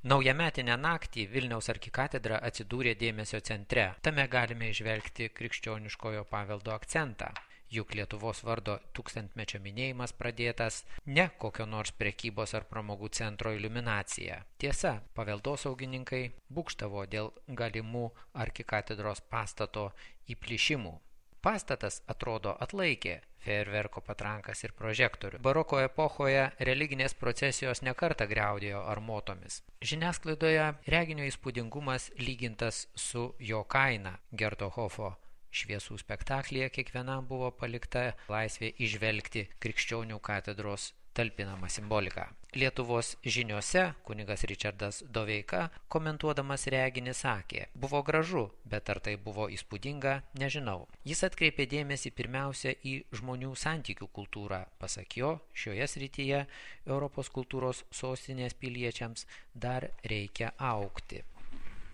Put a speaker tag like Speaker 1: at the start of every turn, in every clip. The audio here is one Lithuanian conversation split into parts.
Speaker 1: Naujametinę naktį Vilniaus arkikatedra atsidūrė dėmesio centre. Tame galime įžvelgti krikščioniškojo paveldo akcentą. Juk Lietuvos vardo 1000-mečio minėjimas pradėtas ne kokio nors prekybos ar pramogų centro iliuminacija. Tiesa, paveldosaugininkai būgštavo dėl galimų arkikatedros pastato įplyšimų. Pastatas, atrodo, atlaikė fejerverko patrankas ir prožektorių. Baroko epochoje religinės procesijos nekartą griaudėjo armotomis. Žiniasklaidoje reginio įspūdingumas lygintas su jo kaina. Gerto Hofo šviesų spektaklyje kiekvienam buvo palikta laisvė įžvelgti krikščionių katedros talpinamą simboliką. Lietuvos žiniose kunigas Ričardas Doveika, komentuodamas reginį, sakė: buvo gražu, bet ar tai buvo įspūdinga, nežinau. Jis atkreipė dėmesį pirmiausia į žmonių santykių kultūrą. Pasak jo, šioje srityje Europos kultūros sostinės piliečiams dar reikia augti.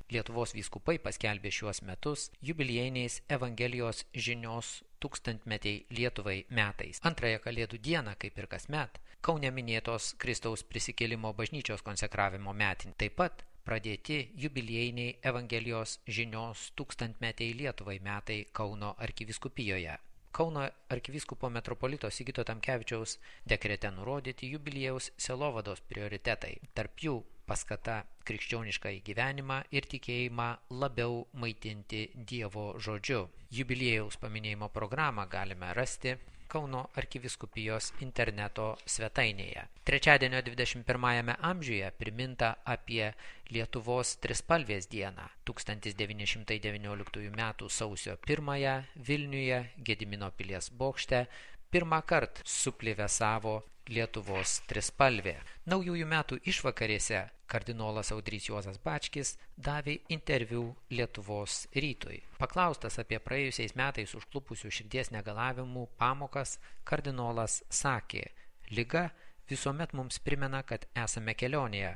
Speaker 1: Lietuvos vyskupai paskelbė šiuos metus jubiliejiniais Evangelijos žinios 1000-metiai Lietuvai metais. Antrąją Kalėdų dieną, kaip ir kasmet, Kaune minėtos Kristaus prisikėlimo bažnyčios konsekravimo metinį. Taip pat pradėti jubiliejiniai Evangelijos žinios 1000-metiai Lietuvai metai Kauno arkivyskupijoje. Kauno arkivyskupo metropolito Sigito Tamkevičiaus dekrete nurodyti jubiliejaus sielovados prioritetai. Tarp jų paskata krikščionišką gyvenimą ir tikėjimą labiau maitinti Dievo žodžiu. Jubiliejaus paminėjimo programą galime rasti Kauno arkivyskupijos interneto svetainėje. Trečiadienio 21 amžiuje priminta apie Lietuvos trispalvės dieną. 1919 m. sausio 1 Vilniuje Gedimino pilies bokšte pirmą kartą suplevėsavo Lietuvos trispalvė. Naujųjų metų išvakarėse kardinolas Audrys Juozas Bačkis davė interviu Lietuvos rytui. Paklaustas apie praėjusiais metais užklupusių širdies negalavimų pamokas, kardinolas sakė: liga visuomet mums primena, kad esame kelionėje,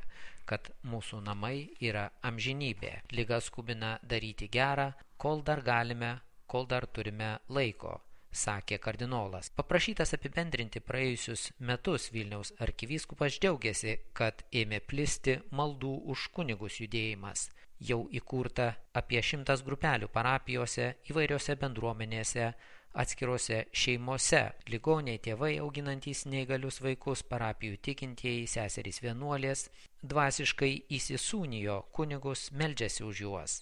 Speaker 1: kad mūsų namai yra amžinybė. Liga skubina daryti gerą, kol dar galime, kol dar turime laiko, sakė kardinolas. Paprašytas apibendrinti praėjusius metus, Vilniaus arkivyskupas džiaugiasi, kad ėmė plisti maldų už kunigus judėjimas. Jau įkurta apie 100 grupelių parapijose, įvairiose bendruomenėse, atskirose šeimose. Ligoniai, tėvai auginantys neįgalius vaikus, parapijų tikintieji, seserys vienuolės dvasiškai įsisūnijo kunigus, meldžiasi už juos.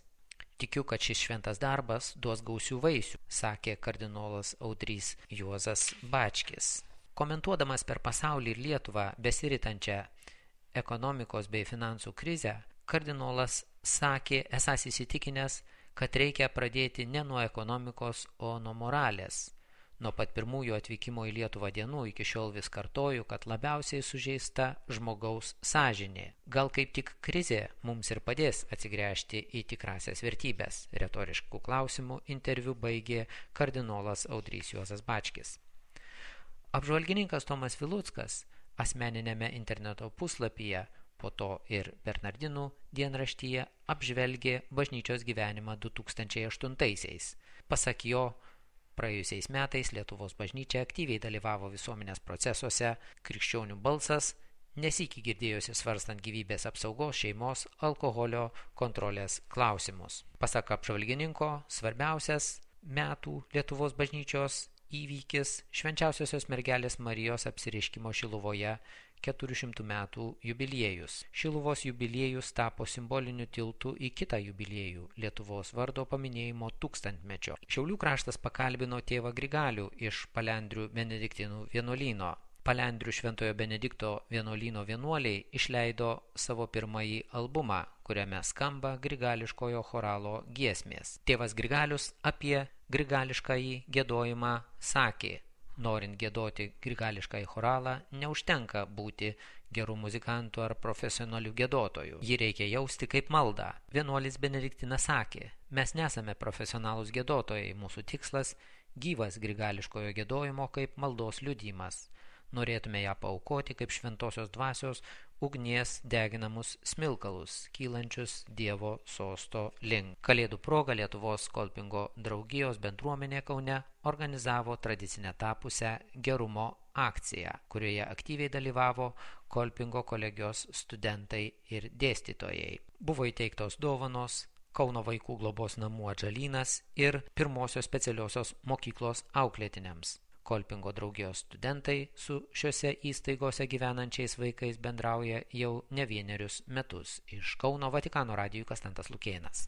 Speaker 1: Tikiu, kad šis šventas darbas duos gausių vaisių, sakė kardinolas Audrys Juozas Bačkis. Komentuodamas per pasaulį ir Lietuvą besiritančią ekonomikos bei finansų krizę, kardinolas sakė esąs įsitikinęs, kad reikia pradėti ne nuo ekonomikos, o nuo moralės. Nuo pat pirmųjų atvykimo į Lietuvą dienų iki šiol vis kartoju, kad labiausiai sužeista žmogaus sąžinė. Gal kaip tik krizė mums ir padės atsigręžti į tikrasias vertybės. Retoriškų klausimų interviu baigė kardinolas Audrys Juozas Bačkis. Apžvalgininkas Tomas Viluckas asmeninėme interneto puslapyje, po to ir Bernardinų dienraštyje apžvelgė bažnyčios gyvenimą 2008-aisiais. Pasak jo, praėjusiais metais Lietuvos bažnyčia aktyviai dalyvavo visuomenės procesuose, krikščionių balsas nesykį girdėjosi svarstant gyvybės apsaugos, šeimos, alkoholio kontrolės klausimus. Pasak apžvalgininko, svarbiausias metų Lietuvos bažnyčios įvykis švenčiausiosios mergelės Marijos apsireiškimo Šiluvoje 400 metų jubiliejus. Šiluvos jubiliejus tapo simboliniu tiltu į kitą jubiliejų – Lietuvos vardo paminėjimo 1000-mečio. Šiaulių kraštas pakalbino tėvą Grigalių iš Palendrių Benediktinų vienuolyno. Palendrių Šventojo Benedikto vienuolyno vienuoliai išleido savo pirmąjį albumą, kuriame skamba grigališkojo choralo giesmės. Tėvas Grigalius apie grigališkąjį giedojimą sakė: norint giedoti grigališkąjį choralą, neužtenka būti gerų muzikantų ar profesionalių giedotojų. Jį reikia jausti kaip maldą. Vienuolis Benediktinas sakė: mes nesame profesionalūs giedotojai, mūsų tikslas – gyvas grigališkojo giedojimo kaip maldos liudijimas. Norėtume ją paaukoti kaip šventosios dvasios ugnies deginamus smilkalus, kylančius Dievo sosto link. Kalėdų proga Lietuvos Kolpingo draugijos bendruomenė Kaune organizavo tradicinę tapusią gerumo akcija, kurioje aktyviai dalyvavo Kolpingo kolegijos studentai ir dėstytojai. Buvo įteiktos dovanos Kauno vaikų globos namų Atžalynas ir pirmosios specialiosios mokyklos auklėtiniams. Kolpingo draugijos studentai su šiuose įstaigose gyvenančiais vaikais bendrauja jau ne vienerius metus. Iš Kauno Vatikano radijui Konstantas Lukėnas.